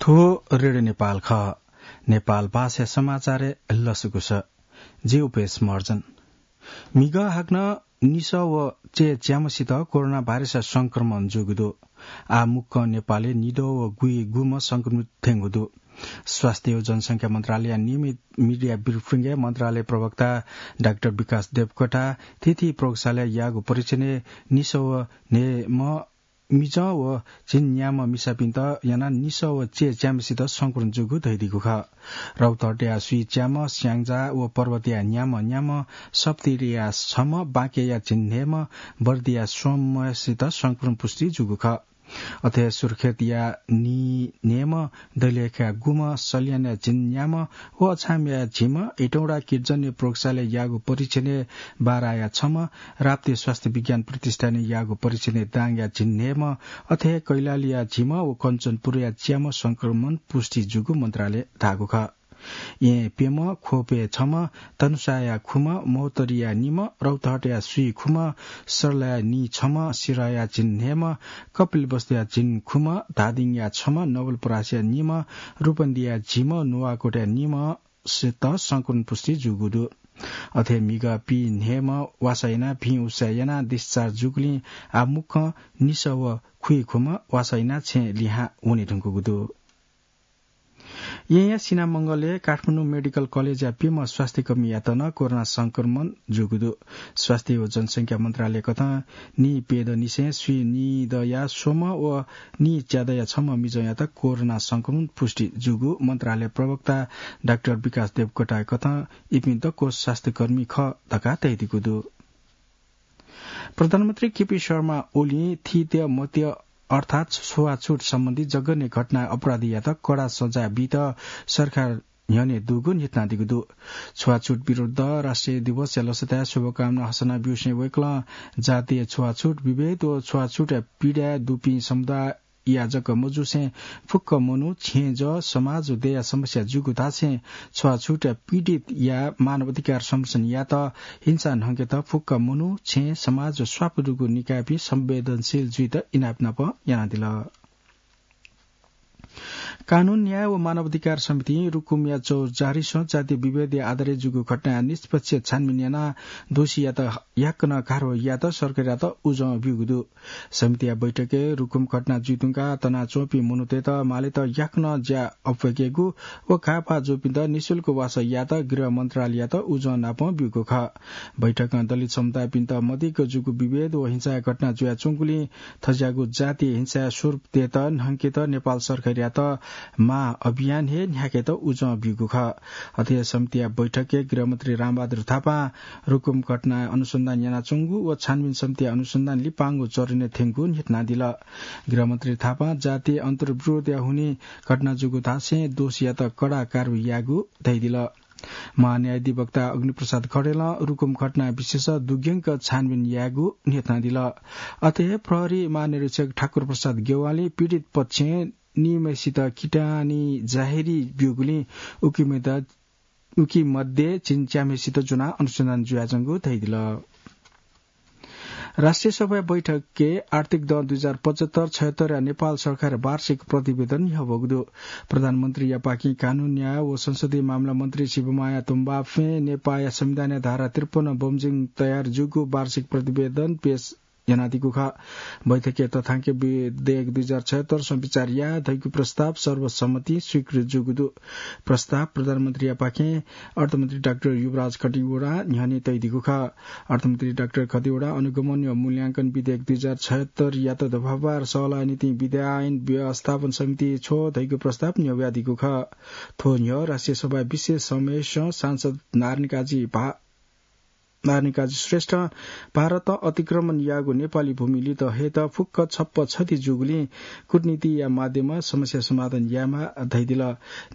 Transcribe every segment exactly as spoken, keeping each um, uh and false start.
थ्व रेडियो नेपाल खः। नेपाल भाषा समाचारय् लसकुस। जि उपेश महर्जन। म्हिगः हाकनं निसः व चय् च्याम्हसित कोरोना भाइरस संक्रमण जूगु दु। आः मुक्कं नेपालय् निदँ व गुइगुम्ह संक्रमित थ्यंगु दु। स्वास्थ्य व जनसंख्या मन्त्रालयया नियमित मिडिया ब्रिफिङय् मन्त्रालय प्रवक्ता डाक्टर विकास देवकोटां थीथी प्रयोगशालाय् याःगु परीक्षणय् निसः व न्हय्म्ह मिजं व झिंन्याम्ह मिसापिन्त यानाः निसः व चय् च्याम्हसित संक्रमण जूगु धयादीगु खः। रौतहटया स्वीच्याम्ह, स्याङ्जा व पर्वतया न्याम्ह न्याम्ह, सप्तरीया छम्ह, बाँकेया झिंन्हय्म्ह, बर्दिया स्वम्हसित संक्रमण पुष्टि जूगु खः। अथे सुर्खेतया नीन्हय्म्ह, दैलेखया गुम्ह, सल्यानया झिंन्याम्ह व अछामया झिम्ह, हेटौँडा किर्जनया प्रयोगशालाय् याःगु परीक्षणय् बाराया छम्ह, राप्ती स्वास्थ्य विज्ञान प्रतिष्ठानय् याःगु परीक्षणय् दाङया झिंन्हय्म्ह, अथे कैलालीया झिम्ह व कञ्चनपुरया च्याम्ह संक्रमण पुष्टि जूगु मन्त्रालयं धाःगु खः। येँ प्यम्ह, ख्वपय् छम्ह, धनुषाया खुम्ह, महोत्तरीया निम्ह, रौतहटया स्वीखुम्ह, सर्लाया नीछम्ह, सिराया झिंन्हय्म्ह, कपिलवस्तुया झिंखुम्ह, धादिङया छम्ह, नवलपरासीया निम्ह, रूपन्देहीया झिम्ह, नुवाकोटया निम्हसित संक्रमण पुष्टि जूगु दु। अथे म्हिगः पीन्हय्म्ह वासः यानाः भिं उसाँय् यानाः discharge जूगुलिं आः मुक्कं निसः व खुइखुम्ह वासः यानाः छेँय् लिहां वने धुंकूगु दु। येँया सिनामंगलय् काठमाडौं मेडिकल कलेजया प्यम्ह स्वास्थ्यकर्मीयात नं कोरोना संक्रमण जूगु दु। स्वास्थ्य व जनसंख्या मन्त्रालय कथं नीप्यदँनिसें स्वीनिदँया स्वम्ह व नीच्यादँया छम्ह मिजंयात कोरोना संक्रमण पुष्टि जूगु मन्त्रालय प्रवक्ता डाक्टर विकास देवकोटां कथं इपिं दक्व स्वास्थ्यकर्मी खः धकाः धयादीगु दु। प्रधानमन्त्री केपी शर्मा ओलीं थीथी मत्य अर्थात् छुवाछुत सम्बन्धी जघन्य घटनाया अपराधीयात कडा सजाय बीत सरकार न्ह्यःने दुगु न्ह्यथनादीगु दु। छुवाछुत विरुद्ध राष्ट्रिय दिवसया लसताय् शुभकामना हसना ब्यूसें वय्कलं जातीय छुवाछुत विभेद व छुवाछुतया पीडाय् दुपिं समुदाय या जक मजुसें फुक्क मनू, छेँजः, समाज व देय्या समस्या जूगु धासें छुवाछुतया पीडितया मानव अधिकार संरक्षण यायेत हिंसा न्हंकेत फुक्क मनू, छेँ, समाज व स्वापू दुगु निकायपिं संवेदनशील जुइत इनाप नाप यानादिल। कानून, न्याय व मानव अधिकार समितिं रुकुमया चौजारीसं जातीय विभेदया आधारय् जूगु घटनाया निष्पक्ष छानबिन यानाः दोषीयात याकनं कारवाही यायेत सरकारयात उजं ब्यूगु दु। समितिया बैठकय् रुकुम घटना जुइधुंकाः तनाच्वंपिं मनूतय्त मालेत याकनं ज्या अप्वय्केगु व घाःपाः जूपिन्त निशुल्क वासः यायेत गृह मन्त्रालययात उजं नापं ब्यूगु खः। बैठकं दलित समुदायपिन्त मदिक्क जूगु विभेद व हिंसाया घटना जुयाच्वंगुलिं थज्याःगु जातीय हिंसाया स्वरूप तयेत न्हंकेत नेपाल सरकारयात महाअभियान हे न्ह्याकेत उजं ब्यूगु खः। अथे समितिया बैठकय् गृहमन्त्री रामबहादुर थापां रुकुम घटनाया अनुसन्धान यानाच्वंगु व छानबिन समितिया अनुसन्धान लिपांगु चरणय् थ्यंगु न्ह्यथनादिल। गृहमन्त्री थापां जातीय अन्तर्विरोधया हुनिं घटना जूगु धासें दोषीयात कडा कारवाही यायेगु धयादिल। महान्यायाधिवक्ता अग्निप्रसाद खड्गीलं रुकुम घटना विषयस दुग्यंक छानबिन यायेगु न्ह्यथनादिल। अथे हे प्रहरी महानिरीक्षक ठाकुर प्रसाद ज्ञवालीं पीडित पक्षं निम्हसित किटानी जाहेरी ब्यूगुलिं उकी मध्य, उकी मध्ये झिंच्याम्हसित ज्वनाः अनुसन्धान जुयाच्वंगु धयादिल। राष्ट्रिय सभाया बैठकय् आर्थिक दँ दुई हजार पचहत्तर छयहत्तरया नेपाल सरकारया वार्षिक प्रतिवेदन न्ह्यब्वःगु दु। प्रधानमन्त्रीयापाखें कानून, न्याय व संसदीय मामला मन्त्री शिवमाया तुम्बाफें नेपाःया संविधानया धारा त्रिपन्न बमोजिम तयार जूगु वार्षिक प्रतिवेदन पेश यानादीगु खः। बैठकय् तथ्याङ्क विधेयक दुई हजार छयहत्तर संविचार याये धइगु प्रस्ताव सर्वसम्मतिं स्वीकृत जूगु दु। प्रस्ताव प्रधानमन्त्रीयापाखें अर्थमन्त्री डाक्टर युवराज खतिवडां न्ह्यःने तयादीगु खः। अर्थमन्त्री डाक्टर खतिवडां अनुगमन व मूल्यांकन विधेयक दुई हजार छयहत्तरयात दफावार सल्लाह निंतिं विधायन व्यवस्थापन समितिइ छ्वः धइगु प्रस्ताव न्ह्यब्वयादीगु खः। थ्व न्ह्यः राष्ट्रिय सभाया विशेष समावेशं सांसद नारायणकाजी भा-, नारायणकाजी श्रेष्ठं भारतं अतिक्रमण याःगु नेपाली भूमि लित हयेत फुक्क छप्पा छथी जूगुलिं कूटनीतिया माध्यमं समस्या समाधान यायेमाः धयादिल।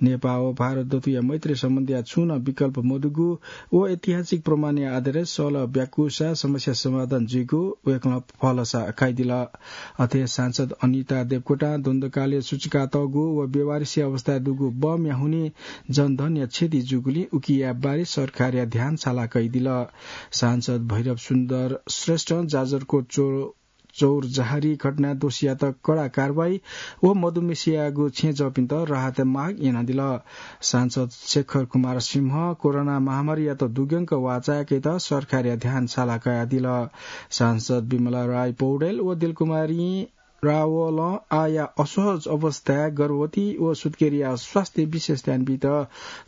नेपाः व भारत दथुया मैत्री सम्बन्धया छुं नं विकल्प मदुगु व ऐतिहासिक प्रमाणया आधारय् सल्लाह ब्याकूसा समस्या समाधान जुइगु वय्कलं भलसा कयादिल। अथे सांसद अनिता देवकोटां द्वन्द्वकालय् सुचुकातःगु व बेवारिसया अवस्थाय् दुगु बमया हुनिं जनधनया क्षति जूगुलिं उकिया बारे सरकारया ध्यान साला कयादिल। सांसद भैरव सुन्दर श्रेष्ठं जाजरकोट चो-, चौरजहारी घटना दोषीयात कडा कारवाही व मदुम्हेसियागु छेँजःपिन्त राहत माग यानादिल। सांसद शेखर कुमार सिंह कोरोना महामारीयात दुग्यंक वाःचाय्‌केत सरकारया ध्यान साला कयादिल। सांसद विमला राय पौडेल व दिलकुमारी रावलं आःया असहज अवस्थाय् गर्भवती व सुत्केरीया स्वास्थ्य विशेष ध्यान बीत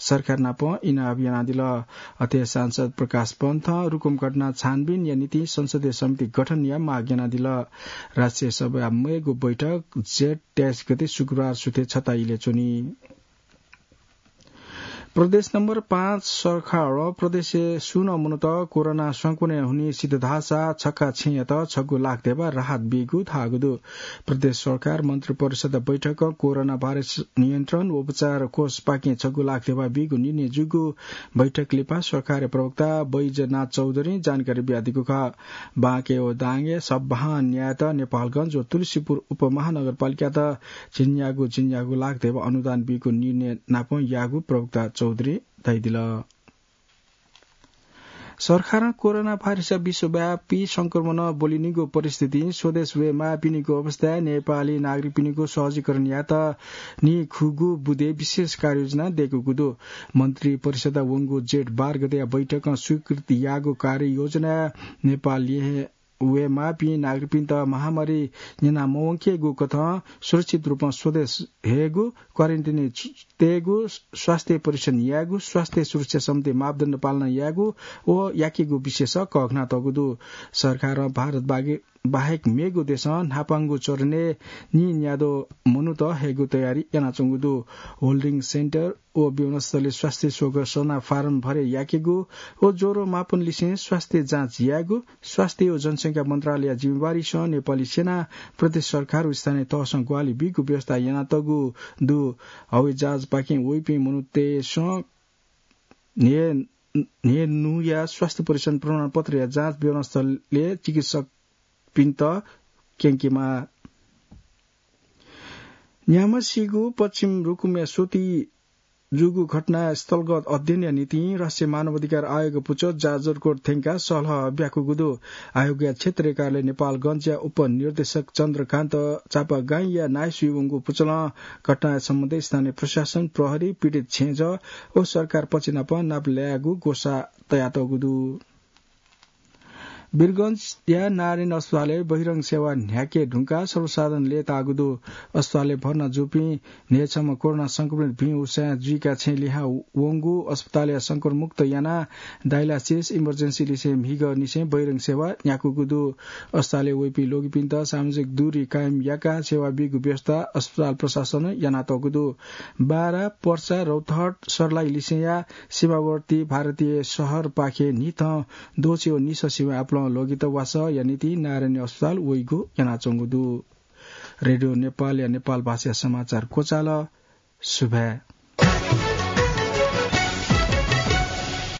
सरकार नाप इनाप यानादिल। अथे सांसद प्रकाश पन्थं रुकुम घटना छानबिनया निंतिं संसदीय समिति गठनया माग यानादिल। राष्ट्रिय सभा मेगु बैठक जेठ तेइस गते शुक्रबार सुथे छता इलय् च्वनी। प्रदेश नम्बर पाँच सरकारं प्रदेशय् सुं नं मनूत कोरोना संक्रमणय् हुनिसित धाःसा छक्का छेँयात छगू लाख धेबा राहत बीगु धाःगु दु। प्रदेश सरकार मन्त्रिपरिषद बैठकं कोरोना भाइरस नियन्त्रण व उपचार कोषपाखें छगू लाख धेबा बीगु निर्णय जूगु बैठक लिपा सरकारया प्रवक्ता बैजनाथ चौधरीं जानकारी बियादीगु खः। बाँके व दाङय् सब्बाहं न्यायेत नेपालगञ्ज व तुलसीपुर उपमहानगरपालिकात झिंन्यागू झिंन्यागू लाख धेबा अनुदान बीगु निर्णय नाप याःगु प्रवक्ता चौधरीं धयादिल। सरकारं कोरोना भाइरसया विश्वव्यापी संक्रमण ब्वलिनिगु परिस्थितिं स्वदेश वयेमाःपिनिगु अवस्थाय् नेपाली नागरिकपिनिगु सहजीकरण यायेत निखुगू बुँदे विशेष कार्ययोजना दय्‌कूगु दु। मन्त्रिपरिषदया वंगु जेठ बाह्र गतेया बैठकं स्वीकृत याःगु कार्ययोजनाय् नेपाल लिहें वयेमाःपिं नागरिकपिन्त महामारी न्यना मवंकेगु कथं सुरक्षित रूपं स्वदेश हयेगु, क्वारेन्टिनय् तयेगु, स्वास्थ्य परीक्षण यायेगु, स्वास्थ्य सुरक्षा सम्बन्धी मापदण्ड पालना यायेगु व याकेगु विषयस कःघानातःगु दु। सरकारं भारत बागे-, बाहेक मेगु देशं न्हापांगु चरणय् निन्याद्वः मनूत हयेगु तयारी यानाच्वंगु दु। होल्डिङ सेन्टर व विमानस्थलय् स्वास्थ्य स्वघोषणा फारम भरे याकेगु व ज्वरो मापन लिसें स्वास्थ्य जाँच यायेगु, स्वास्थ्य व जनसंख्या मन्त्रालयया जिम्मेवारीसं नेपाली सेना, प्रदेश सरकार व स्थानीय तहसं ग्वाहालि बीगु व्यवस्था यानातःगु दु। हवाई जहाजपाखें वइपिं मनूतय्‌सं न्हय्, न्हय्‌न्हुया स्वास्थ्य परीक्षण प्रमाणपत्रया जाँच विमानस्थलय् चिकित्सकपिन्त क्यंकेमाः। न्याम्हसिगु पश्चिम रुकुमया स्वति जूगु घटना स्थलगत अध्ययनया निंतिं राष्ट्रिय मानवाधिकार आयोग पुचः जाजरकोट थ्यंकाः सल्लाह ब्याकूगु दु। आयोगया क्षेत्रीय कार्यालय नेपालगञ्जया उपनिर्देशक चन्द्रकान्त चापागाईंया नायःसुइ वंगु पुचलं घटनाया सम्बन्धय् स्थानीय प्रशासन, प्रहरी, पीडित छेँजः व सरकार पक्षनाप नाप लायेगु ग्वसाः तयातःगु दु। वीरगञ्जया नारायणी अस्पतालय् बहिरंग सेवा न्ह्याके धुंकाः सर्वसाधारण लय्‌ताःगु दु। अस्पतालय् भर्ना जूपिं न्हय्‌छम्ह कोरोना संक्रमित भिं उसाँय् जुइका छेँ लिहां वंगु अस्पतालय् संक्रमणमुक्त यानाः डायलासिस, इमर्जेन्सी लिसें म्हिगःनिसें बहिरंग सेवा न्ह्याकूगु दु। अस्पतालय् वइपिं ल्वगिपिन्त सामाजिक दूरी कायम याकाः सेवा बीगु व्यवस्था अस्पताल प्रशासनं यानातःगु दु। बारा, पर्सा, रौतहट, सर्लाही लिसेंया सीमावर्ती भारतीय शहरपाखे न्हिथं द्वःछि व निसः सिबें आपालं ल्वगित वासःया निंतिं नारायणी अस्पताल वइगु यानाच्वंगु दु। रेडियो नेपालया नेपाल भाषाया समाचार क्वचाल। सुभाय्।